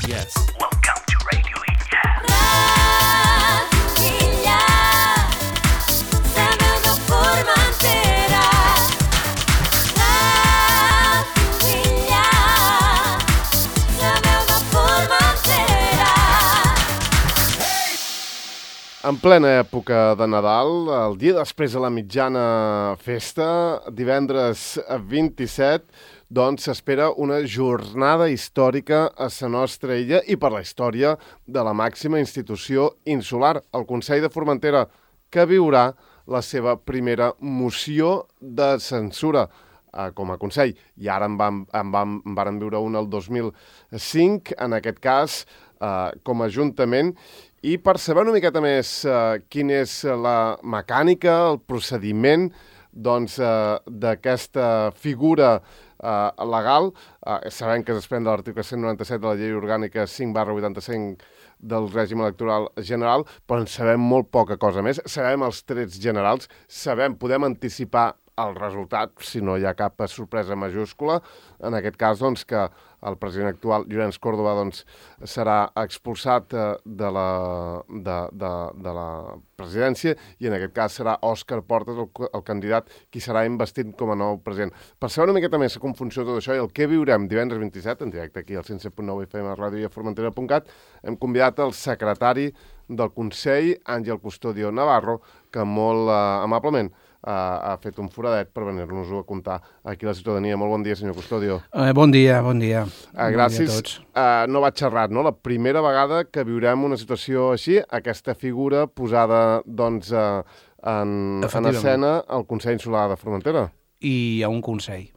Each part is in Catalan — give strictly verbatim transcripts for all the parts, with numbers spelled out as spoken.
Yes. Welcome to Radio Illa. Radio Illa, la veu de Formentera. Radio Illa, la veu de Formentera. En plena època de Nadal, el dia després de la mitjana festa, divendres vint-i-set, doncs s'espera una jornada històrica a la nostra illa i per la història de la màxima institució insular, el Consell de Formentera, que viurà la seva primera moció de censura eh, com a Consell. I ara en vam, en vam, en varen viure una el dos mil cinc, en aquest cas eh, com a Ajuntament. I per saber una miqueta més eh, quina és la mecànica, el procediment doncs, eh, d'aquesta figura eh, legal, eh, sabem que es desprèn de l'article cent noranta-set de la Llei Orgànica cinc barra vuitanta-cinc del règim electoral general, però en sabem molt poca cosa més. Sabem els trets generals, sabem, podem anticipar el resultat, si no hi ha cap sorpresa majúscula. En aquest cas, doncs, que el president actual, Llorenç Córdoba, doncs, serà expulsat eh, de, la, de, de, de la presidència i en aquest cas serà Òscar Portas, el, el candidat, qui serà investit com a nou president. Per saber una miqueta més com funciona tot això i el que viurem divendres vint-i-set, en directe aquí al cent set punt nou F M a ràdio i a formentera punt cat, hem convidat el secretari del Consell, Àngel Custodio Navarro, que molt eh, amablement Uh, ha fet un foradet per venir-nos-ho a contar aquí a la ciutadania. Molt bon dia, senyor Custodio. Eh, bon dia, bon dia. Uh, gràcies. Bon dia a tots. Uh, no vaig xerrat, no? La primera vegada que viurem una situació així, aquesta figura posada, doncs, uh, en, en escena al Consell Insular de Formentera. I a un consell.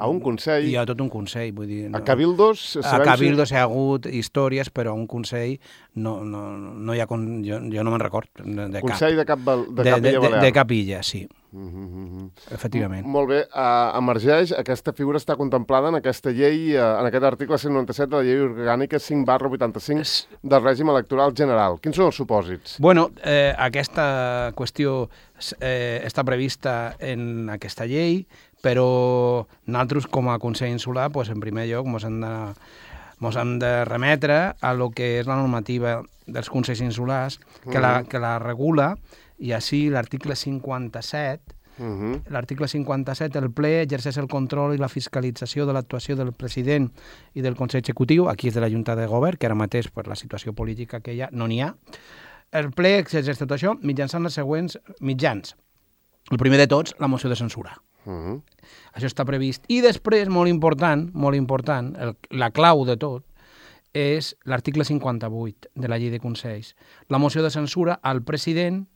A un consell? I a tot un consell, vull dir... No. A Cabildos? A Cabildos hi ha hagut històries, però a un consell no, no, no hi ha... Con... Jo, jo no me'n record de, de consell cap. de, cap, de, de cap de, Illa Balear? De, de cap illa, sí. Mm-hmm. Efectivament. M molt bé. Uh, emergeix, aquesta figura està contemplada en aquesta llei, uh, en aquest article cent noranta-set de la Llei Orgànica cinc barra vuitanta-cinc del règim electoral general. Quins són els supòsits? Bueno, eh, aquesta qüestió eh, està prevista en aquesta llei, però nosaltres com a Consell Insular, pues, en primer lloc, ens hem de, mos hem de remetre a lo que és la normativa dels Consells Insulars, que, mm. la, que la regula, i així l'article cinquanta-set, mm-hmm. l'article cinquanta-set, el ple exerceix el control i la fiscalització de l'actuació del president i del Consell Executiu, aquí és de la Junta de Govern, que ara mateix, per la situació política que hi ha, no n'hi ha. El ple exerceix tot això mitjançant els següents mitjans. El primer de tots, la moció de censura. Mm-hmm. Això està previst. I després, molt important, molt important, el, la clau de tot, és l'article cinquanta-vuit de la Llei de Consells. La moció de censura al president,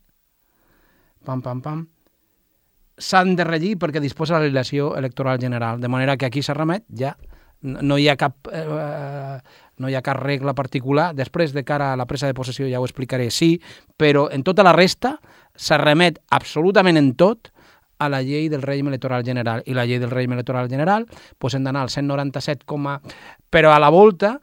pam, pam, pam, s'han de regir perquè disposa la legislació electoral general, de manera que aquí s'ha remet, ja no hi ha cap eh, no hi ha cap regla particular. Després, de cara a la presa de possessió, ja ho explicaré, sí, però en tota la resta s'ha remet absolutament en tot a la llei del règim electoral general. I la llei del règim electoral general, doncs hem d'anar al cent noranta-set, però a la volta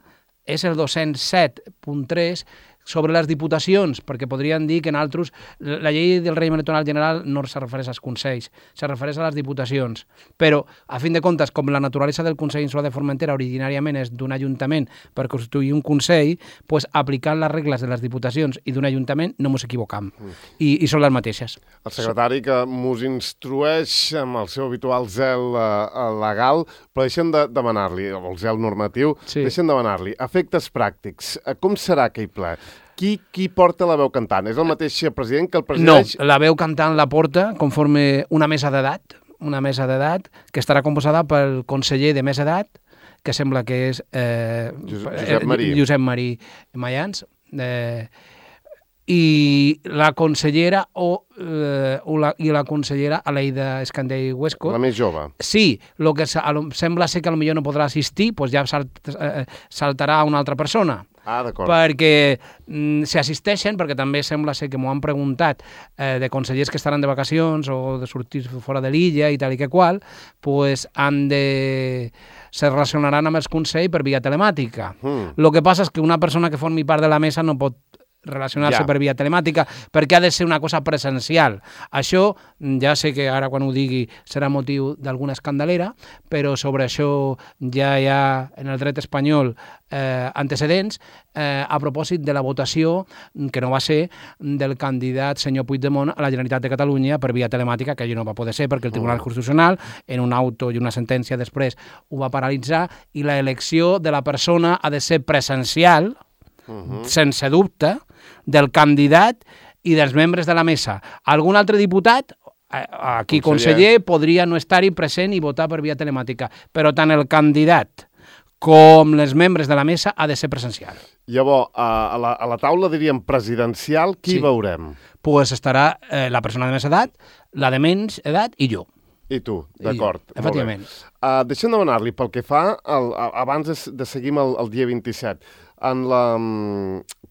és el dos-cents set punt tres sobre les diputacions, perquè podrien dir que en altres la llei del règim electoral general no se refereix als consells, se refereix a les diputacions. Però, a fin de comptes, com la naturalesa del Consell Insular de Formentera originàriament és d'un ajuntament per constituir un consell, doncs, aplicant les regles de les diputacions i d'un ajuntament no ens equivocam. Mm. I, I són les mateixes. El secretari que mos instrueix amb el seu habitual zel uh, legal, però deixen de demanar-li, el zel normatiu, sí. deixen de demanar-li efectes pràctics. Com serà aquell ple? Qui, qui porta la veu cantant? És el mateix president que el presideix? No, la veu cantant la porta conforme una mesa d'edat, una mesa d'edat que estarà composada pel conseller de més edat, que sembla que és eh, Josep Marí, Josep Marí Mayans, eh, i la consellera o, eh, o la, i la consellera Aleida Escandell Huesco. La més jove. Sí, lo que sembla ser que potser no podrà assistir, doncs ja salt, eh, saltarà una altra persona. Ah, d'acord. Perquè mm, si assisteixen, perquè també sembla ser que m'ho han preguntat eh, de consellers que estaran de vacacions o de sortir fora de l'illa i tal i que qual, pues han de... se relacionaran amb els consells per via telemàtica. Mm. Lo que passa és que una persona que formi part de la mesa no pot relacionar-se Ja. per via telemàtica, perquè ha de ser una cosa presencial. Això, ja sé que ara quan ho digui serà motiu d'alguna escandalera, però sobre això ja hi ha en el dret espanyol eh, antecedents eh, a propòsit de la votació, que no va ser, del candidat senyor Puigdemont a la Generalitat de Catalunya per via telemàtica, que allò no va poder ser perquè el Tribunal Constitucional, en un auto i una sentència després, ho va paralitzar, i la elecció de la persona ha de ser presencial, Uh-huh. sense dubte, del candidat i dels membres de la mesa. Algun altre diputat, aquí conseller, conseller podria no estar-hi present i votar per via telemàtica, però tant el candidat com els membres de la mesa ha de ser presencial. Llavors, a la, a la taula, diríem, presidencial, qui Sí. veurem? Pues estarà eh, la persona de més edat, la de menys edat i jo. I tu, d'acord. I jo, efectivament. Uh, deixa'm demanar-li, pel que fa, el, abans de, de seguir el, el dia vint-i-set, en la,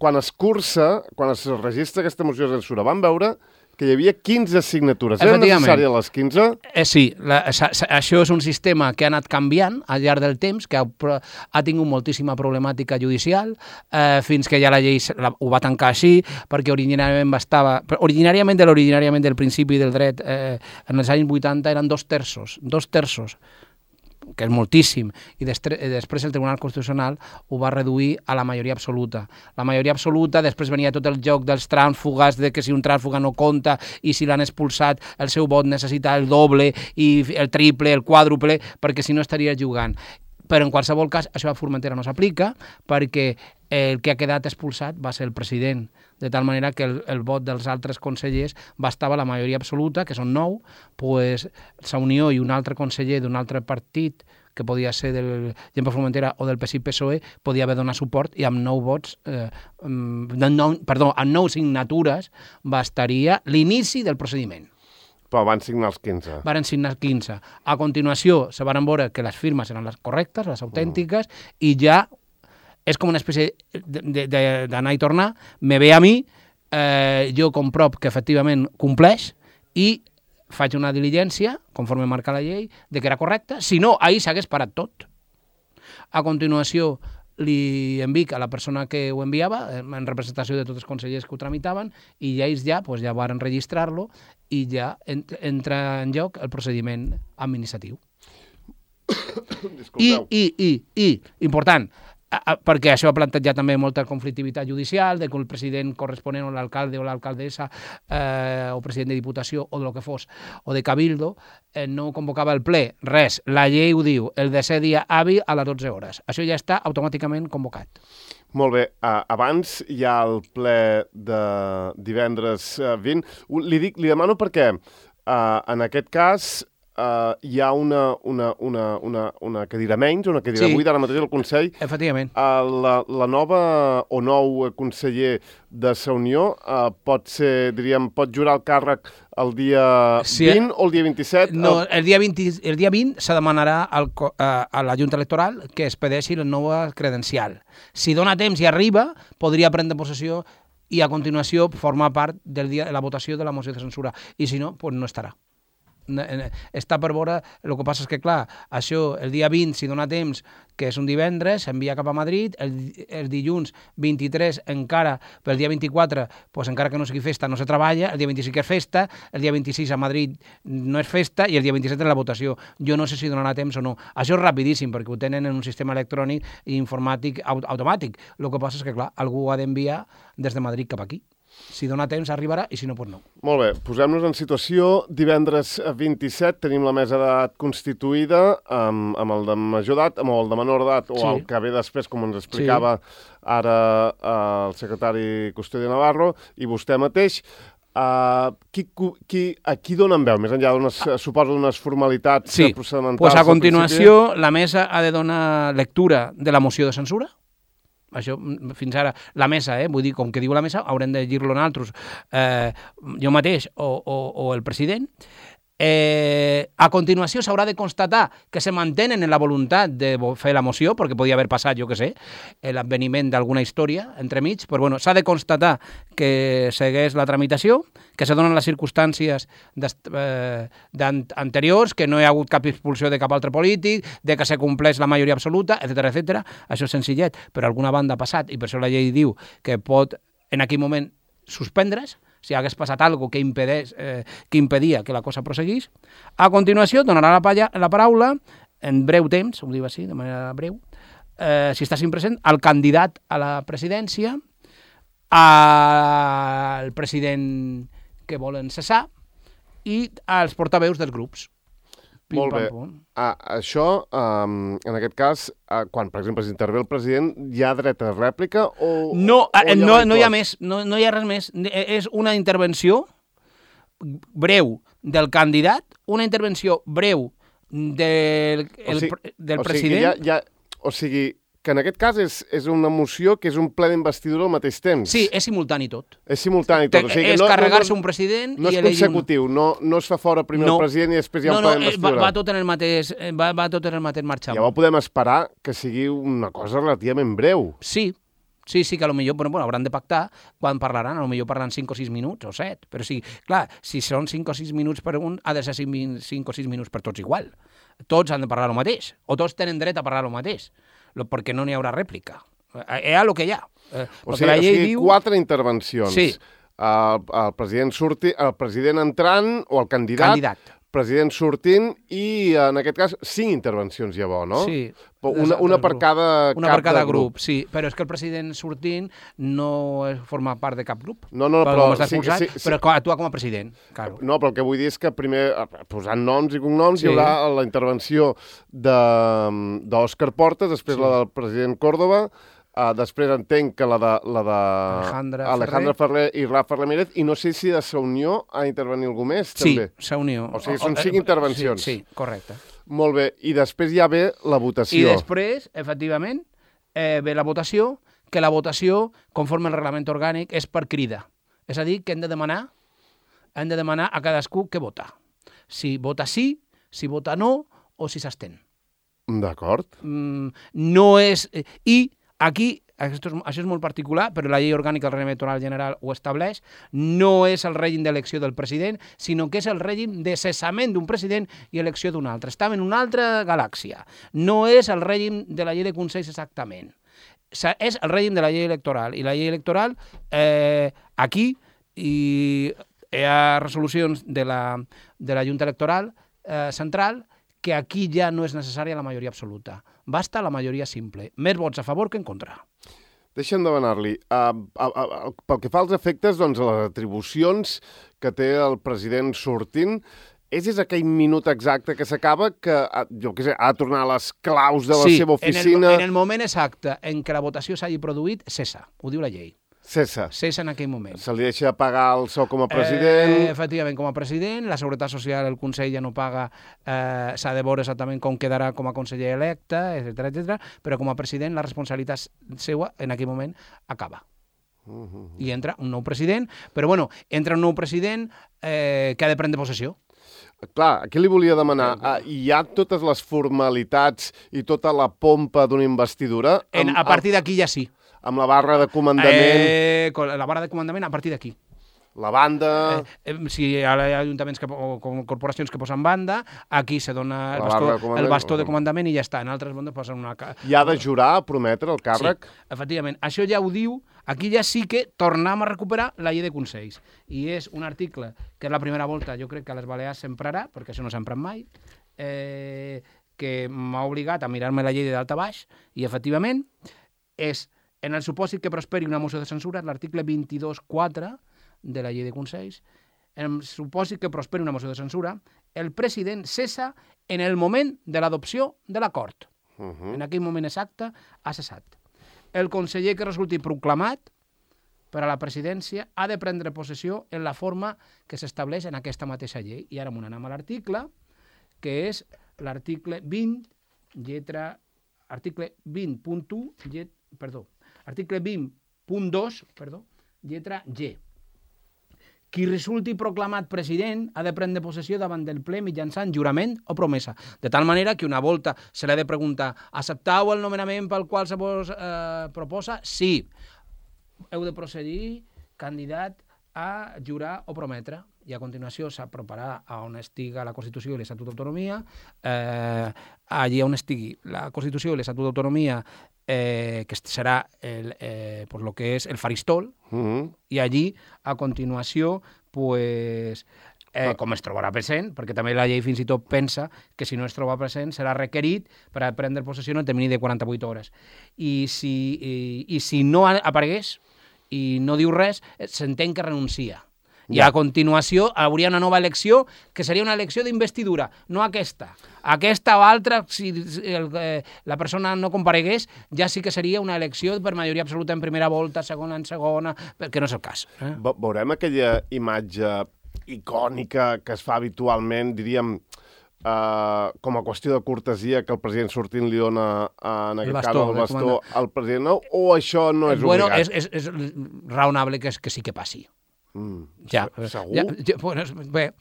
quan es cursa, quan es registra aquesta moció de censura, vam veure que hi havia quinze signatures. Eren necessàries les quinze? Eh, sí, la, sa, sa, això és un sistema que ha anat canviant al llarg del temps, que ha, ha tingut moltíssima problemàtica judicial, eh, fins que ja la llei la, ho va tancar així, perquè originàriament bastava... Originàriament de l'originàriament del principi del dret, eh, en els anys vuitanta eren dos terços, dos terços, que és moltíssim, i després, després el Tribunal Constitucional ho va reduir a la majoria absoluta. La majoria absoluta, després venia tot el joc dels trànsfugues, de que si un trànsfuga no compta i si l'han expulsat, el seu vot necessita el doble i el triple, el quàdruple, perquè si no estaria jugant. Però en qualsevol cas, això a Formentera no s'aplica, perquè el que ha quedat expulsat va ser el president, de tal manera que el, el vot dels altres consellers bastava la majoria absoluta, que són nou, pues, Sa Unió i un altre conseller d'un altre partit, que podia ser del Gent per Formentera o del P S I P S O E, podia haver donat suport i amb nou vots, eh, nou, perdó, amb nou signatures bastaria l'inici del procediment. Però van signar els quinze. Varen signar quinze. A continuació, se van veure que les firmes eren les correctes, les autèntiques, mm. i ja és com una espècie d'anar i tornar, me ve a mi, eh, jo comprop que efectivament compleix i faig una diligència, conforme marca la llei, de que era correcta, si no, ahir s'hagués parat tot. A continuació, li envic a la persona que ho enviava, en representació de tots els consellers que ho tramitaven, i ja ells ja, pues, ja van registrar-lo i ja entra en lloc el procediment administratiu. I, i, i, i, important, perquè això ha plantejat també molta conflictivitat judicial, de que el president corresponent o l'alcalde o l'alcaldessa eh, o president de diputació o del que fos, o de cabildo, eh, no convocava el ple. Res, la llei ho diu, el desè dia hàbil a les dotze hores. Això ja està automàticament convocat. Molt bé, uh, abans hi ha el ple de divendres uh, vint. Li, dic, li demano perquè uh, en aquest cas Uh, hi ha una, una, una, una, una cadira menys, una cadira sí. buida ara mateix al Consell. Efectivament. Uh, la, la nova o nou conseller de Sa Unió uh, pot ser, diríem, pot jurar el càrrec el dia sí, vint o el dia vint-i-set? No, el dia vint, el dia vint se demanarà al, a, a la Junta Electoral que es pedeixi la nova credencial. Si dona temps i arriba, podria prendre possessió i a continuació formar part del dia de la votació de la moció de censura. I si no, pues no estarà. Està per veure, el que passa és que, clar, això, el dia vint, si dona temps, que és un divendres, s'envia cap a Madrid, el, el dilluns vint-i-tres encara, pel dia vint-i-quatre, pues, encara que no sigui festa, no se treballa, el dia vint-i-cinc és festa, el dia vint-i-sis a Madrid no és festa i el dia vint-i-set és la votació. Jo no sé si donarà temps o no. Això és rapidíssim, perquè ho tenen en un sistema electrònic i informàtic aut automàtic. El que passa és que, clar, algú ho ha d'enviar des de Madrid cap aquí. Si dona temps arribarà i si no, doncs no. Molt bé, posem-nos en situació. Divendres vint-i-set tenim la mesa d'edat constituïda amb, amb el de major edat, amb el de menor edat o sí. el que ve després, com ens explicava sí. ara el secretari Custodio Navarro i vostè mateix. Uh, qui, qui, a qui donen veu? Més enllà d'unes, suposo, d'unes formalitats sí. procedimentals? Pues a continuació, la mesa ha de donar lectura de la moció de censura. Això, fins ara, la mesa, eh, vull dir, com que diu la mesa, haurem de llegir-lo nosaltres, eh, jo mateix o, o, o el president. Eh, a continuació s'haurà de constatar que se mantenen en la voluntat de fer la moció, perquè podia haver passat, jo què sé, l'adveniment d'alguna història entremig, però bueno, s'ha de constatar que segueix la tramitació, que se donen les circumstàncies eh, anteriors, que no hi ha hagut cap expulsió de cap altre polític, de que se compleix la majoria absoluta, etcètera, etcètera. Això és senzillet, però alguna banda ha passat, i per això la llei diu que pot en aquell moment suspendre's, si hagués passat alguna que, impedés, eh, que impedia que la cosa prosseguís. A continuació, donarà la, palla, la paraula, en breu temps, ho diu així, de manera breu, eh, si estàs present, al candidat a la presidència, al president que volen cessar i als portaveus dels grups. Pim, Molt bé. pam, pum. Ah, això, um, en aquest cas, uh, quan, per exemple, s'intervé el president, hi ha dret a rèplica o... No, o eh, no, va no hi ha inclòs? més, no, no hi ha res més. Eh, És una intervenció breu del candidat, una intervenció breu del, el, O sigui, pre- del o sigui, president. Hi ha, hi ha, o sigui, que en aquest cas és, és una moció que és un ple d'investidura al mateix temps. Sí, és simultani tot. És simultani tot. O sigui, que és no, carregar-se no, un president no i és elegir consecutiu, no, no es fa fora primer No. el president i després hi ha no, un no, ple eh, va, d'investidura. va tot en el mateix, eh, va, va tot en el mateix marxant. Llavors podem esperar que sigui una cosa relativament breu. Sí, sí, sí, que a lo millor, bueno, bueno, hauran de pactar quan parlaran, a lo millor parlen cinc o sis minuts o set, però sí, clar, si són cinc o sis minuts per un, ha de ser cinc o sis minuts per tots igual. Tots han de parlar el mateix, o tots tenen dret a parlar el mateix, lo- perquè no n'hi haurà rèplica. Hi ha el que hi ha. Eh, O perquè sigui, la o llei sigui diu... quatre intervencions. Sí. El, el president surti, el president entrant o el candidat, Candidat. president sortint i, en aquest cas, cinc intervencions llavors, no? Sí. Però Una, una per grup. cada Una cap per cada de grup. grup, sí. Però és que el president sortint no és- forma part de cap grup. No, no, Perquè però com està sí, expulsat, sí, sí. però co- actua com a president, claro. No, però el que vull dir és que primer, eh, posant noms i cognoms, Sí. hi haurà la intervenció de- d'Òscar Portas, després Sí. la del president Córdoba, uh, després entenc que la de, la de Alejandra Alejandra Ferrer i Rafa Ramírez, i no sé si de Sa Unió ha d'intervenir algú més, Sí, també. s'ha unió. O sigui, són cinc intervencions. Sí, sí, correcte. Molt bé, i després ja ve la I votació. després, efectivament, eh, ve la votació, que la votació, conforme al reglament orgànic, és per crida. És a dir, que hem de demanar, hem de demanar a cadascú què vota. Si vota sí, si vota no, o si s'estén. D'acord. Mm, no és... eh, I aquí, això és, això és molt particular, però la llei orgànica del règim electoral general ho estableix, no és el règim d'elecció del president, sinó que és el règim de cessament d'un president i elecció d'un altre. Estem en una altra galàxia. No és el règim de la llei de consells exactament. Sa- És el règim de la llei electoral. I la llei electoral, eh, aquí, i hi ha resolucions de la, de la Junta Electoral eh, Central que aquí ja no és necessària la majoria absoluta. Basta la majoria simple. Més vots a favor que en contra. Deixa'm demanar-li, uh, uh, uh, pel que fa als efectes, doncs, les atribucions que té el president sortint, és, és aquell minut exacte que s'acaba que, uh, jo què sé, ha de tornar a les claus de la sí, seva oficina... En el, en el moment exacte en què la votació s'hagi produït, cessa. Ho diu la llei. Cessa. Cessa en aquell moment. Se li deixa pagar el sou com a president... Eh, efectivament, com a president, la Seguretat Social, el Consell ja no paga, eh, s'ha de veure exactament com quedarà com a conseller electe, etcètera, etcètera, però com a president la responsabilitat seva en aquell moment acaba. Uh -huh. I entra un nou president, però bueno, entra un nou president eh, que ha de prendre possessió. Clar, aquí li volia demanar, uh, hi ha totes les formalitats i tota la pompa d'una investidura En, amb, a partir d'aquí ja sí. amb la barra de comandament, Eh, con la barra de comandament a partir d'aquí. la banda... Eh, eh, si hi ha ajuntaments que, o com corporacions que posen banda, aquí se dona el La bastó, barra de comandament. el bastó de comandament i ja està. En altres bandes posen una... ca- I ha de jurar a prometre el càrrec? Sí, efectivament. Això ja ho diu, aquí ja sí que tornem a recuperar la llei de consells. I és un article que és la primera volta, jo crec que a les Balears s'emprarà, perquè això no s'empra mai, eh, que m'ha obligat a mirar-me la llei de dalt a baix, i efectivament és, en el supòsit que prosperi una moció de censura, l'article vint-i-dos quatre de la llei de consells, en el supòsit que prosperi una moció de censura, el president cessa en el moment de l'adopció de l'acord. Uh -huh. En aquell moment exacte ha cessat. El conseller que resulti proclamat per a la presidència ha de prendre possessió en la forma que s'estableix en aquesta mateixa llei. I ara m'ho anem a l'article, que és l'article vint, lletra... Article vint punt u, llet, perdó, article vint punt dos, perdó, lletra G. Qui resulti proclamat president ha de prendre possessió davant del ple mitjançant jurament o promesa. De tal manera que una volta se l'ha de preguntar: acceptau el nomenament pel qual se vos eh, proposa? Sí. Heu de procedir, candidat, a jurar o prometre. I a continuació s'aproparà a on estiga la Constitució i l'Estatut d'Autonomia. Eh, allí on estigui la Constitució i l'Estatut d'Autonomia eh, que serà el, eh, pues lo que és el faristol, Mhm. i allí, a continuació, pues, eh, com es trobarà present, perquè també la llei fins i tot pensa que si no es troba present serà requerit per a prendre possessió en el termini de quaranta-vuit hores. I si, i, i si no aparegués i no diu res, s'entén que renuncia. I a continuació hauria una nova elecció, que seria una elecció d'investidura, no aquesta. Aquesta o altra, si el, eh, la persona no comparegués, ja sí que seria una elecció per majoria absoluta en primera volta, segona en segona, perquè no és el cas. Eh? Ve- Veurem aquella imatge icònica que es fa habitualment, diríem, Uh, com a qüestió de cortesia, que el president sortint li dona, uh, en El aquest bastó, cas, el el bastó comandant. al president, no? O això no és bueno, obligat? és, és, és raonable que, que sí que passi. Mm, Ja, segur? ja, ja, bueno, bé,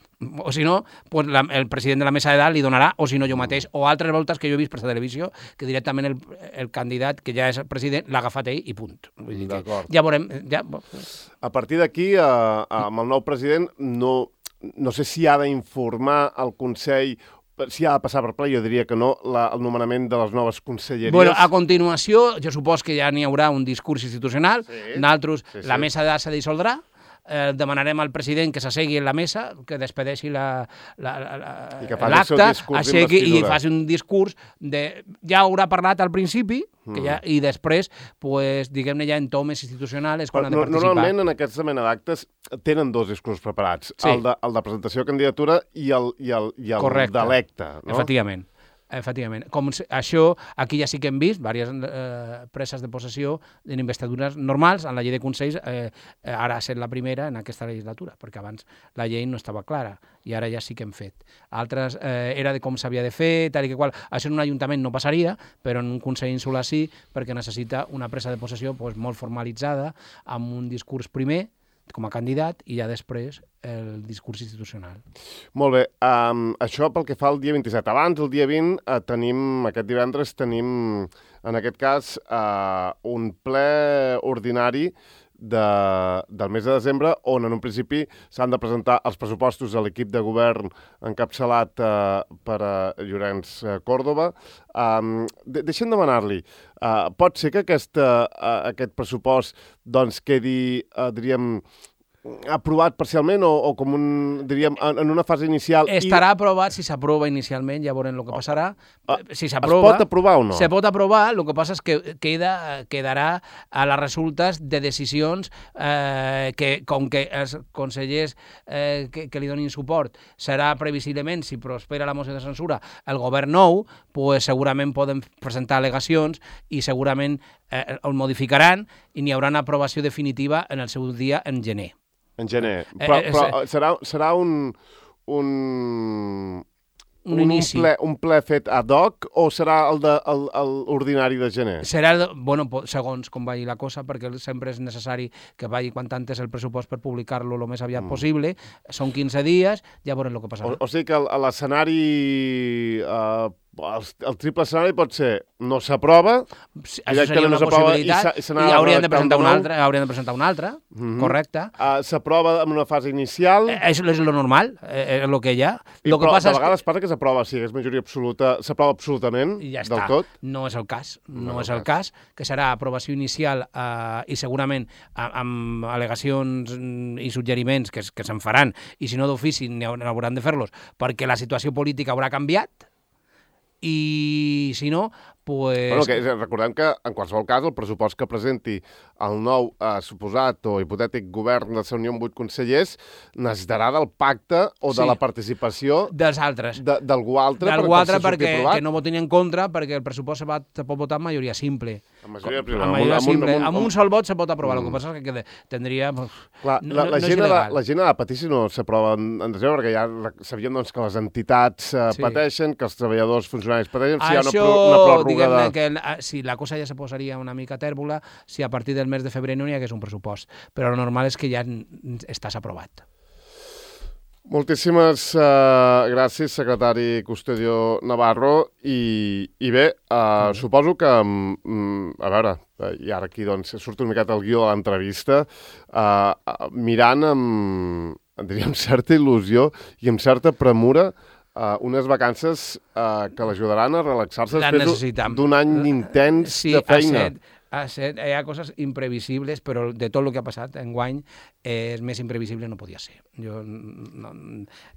o si no, pues la, el president de la mesa de dalt li donarà, o si no jo mateix, o altres voltes que jo he vist per la televisió, que directament el, el candidat, que ja és el president, l'ha agafat ell i punt. Vull dir que D'acord. ja veurem... Ja... A partir d'aquí, uh, amb el nou president, no, no sé si ha d'informar el Consell, si ha de passar per ple, jo diria que no, la, el nomenament de les noves conselleries. Bueno, a continuació, jo supos que ja n'hi haurà un discurs institucional, Sí. nosaltres, Sí, sí. la mesa de dalt se dissoldrà, eh, demanarem al president que s'assegui en la mesa, que despedeixi la- la- la- la- I que faci el seu l'acte, discurs assegui i d'investidura. faci un discurs de... Ja haurà parlat al principi, que ja, i després, pues, diguem-ne, ja en tomes institucional és quan Però ha de no- participar. Normalment, en aquesta mena d'actes, tenen dos discurs preparats. Sí. El, de, el de presentació de candidatura i el, i el, i el Correcte. d'electe. No? Efectivament. Efectivament. Com se- això, aquí ja sí que hem vist diverses eh, preses de possessió en investidures normals, en la llei de consells, eh, eh, ara ha estat la primera en aquesta legislatura, perquè abans la llei no estava clara, i ara ja sí que hem fet. Altres eh, era de com s'havia de fer, tal i que qual. Això en un ajuntament no passaria, però en un consell insular sí, perquè necessita una presa de possessió pues, molt formalitzada, amb un discurs primer, com a candidat, i ja després el discurs institucional. Molt bé, um, això pel que fa al dia vint-i-set. Abans, el dia vint, uh, tenim, aquest divendres, tenim, en aquest cas, uh, un ple ordinari de, del mes de desembre, on en un principi s'han de presentar els pressupostos de l'equip de govern encapçalat uh, per uh, Llorenç uh, Còrdova. Um, de deixem demanar-li, uh, pot ser que aquesta, uh, aquest pressupost doncs, quedi, uh, diríem, aprovat parcialment o, o com un, diríem, en, en una fase inicial... Estarà aprovat si s'aprova inicialment, ja veurem el que passarà. Ah, Si Es s'aprova... pot aprovar o no? Se pot aprovar, el que passa és que queda, quedarà a les resultes de decisions eh, que, com que els consellers eh, que, que li donin suport serà previsiblement, si prospera la moció de censura, el govern nou, pues segurament poden presentar al·legacions i segurament eh, el modificaran i n'hi haurà una aprovació definitiva en el seu dia en gener. En gener. Eh, Però, eh, però serà, serà un... un... Un inici. Un ple, un ple fet ad hoc o serà el, de, el, el ordinari de gener? Serà, el- bueno, po- segons com vagi la cosa, perquè sempre és necessari que vagi quan antes el pressupost per publicar-lo el més aviat mm. possible. Són quinze dies, ja veurem el que O, passarà. o sigui que el- l'escenari... Uh, el, el triple escenari pot ser no s'aprova, Sí, això seria directament una no s'aprova i possibilitat, s'ha- i i, se n'ha de haurien de redactar presentar un una nou. altra, haurien de presentar una altra, Mhm. correcte. uh, s'aprova en una fase inicial, Eh, Això és lo normal, eh, és el que hi ha. i, Lo que però passa de és que... vegades passa que s'aprova, si és majoria absoluta, s'aprova absolutament I ja del està. tot. No és el cas, no, No és és el el cas, que serà aprovació inicial eh, i segurament a- amb al·legacions mm, i suggeriments que, es- que se'n faran, i si no d'ofici n'hi hau- n'hauran de fer-los, perquè la situació política haurà canviat, i si no, pues... Bueno, que, és- recordem que, en qualsevol cas, el pressupost que presenti el nou eh, suposat o hipotètic govern de la Unió amb vuit consellers necessitarà del pacte o de Sí. la participació dels altres. de- d'algú altre D'algú per, altre per ser perquè aprovat. que no votin en contra, perquè el pressupost se, va, se pot votar amb majoria simple. Amb majoria Com- simple, amb amb un- majoria amb un- simple. amb un- Amb un sol vot se pot aprovar, Mm. el que passa és que queda- tindria... Clar, no- la, no- la, no és gent ha de, il·legal. la gent ha de patir si no s'aprova en, en desembre, perquè ja rec- sabíem doncs, que les entitats eh, Sí. pateixen, que els treballadors funcionaris pateixen, si hi ha una, Això, pro, una pròrroga diguem-ne de... que la- si la cosa ja se posaria una mica tèrbola si a partir del mes de febrer no hi hagués un pressupost. Però el normal és que ja n- estàs aprovat. Moltíssimes uh, gràcies, secretari Custodio Navarro, i, i bé, uh, suposo que, um, a veure, uh, i ara aquí doncs, surt una miqueta el guió de l'entrevista, uh, uh, mirant amb, diríem, certa il·lusió i amb certa premura uh, unes vacances uh, que l'ajudaran a relaxar-se La després necessitam. d'un any intens Sí, de feina. ha set, ha set, hi ha coses imprevisibles, però de tot el que ha passat enguany, eh, més imprevisible no podia ser. Jo, no,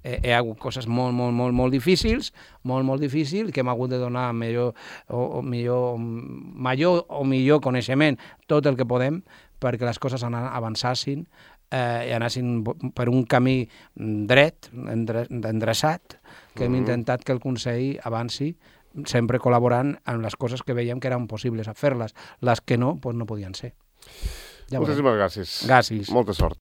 eh, hi ha hagut coses molt, molt, molt, molt difícils, molt, molt difícils, que hem hagut de donar millor o, o millor, major o millor coneixement, tot el que podem, perquè les coses avançassin eh, i anessin per un camí dret, endre, endreçat, que hem intentat que el Consell avanci, sempre col·laborant amb les coses que veiem que eren possibles a fer-les. Les que no, doncs no podien ser. Ja Moltíssimes gràcies. Gràcies. Molta sort.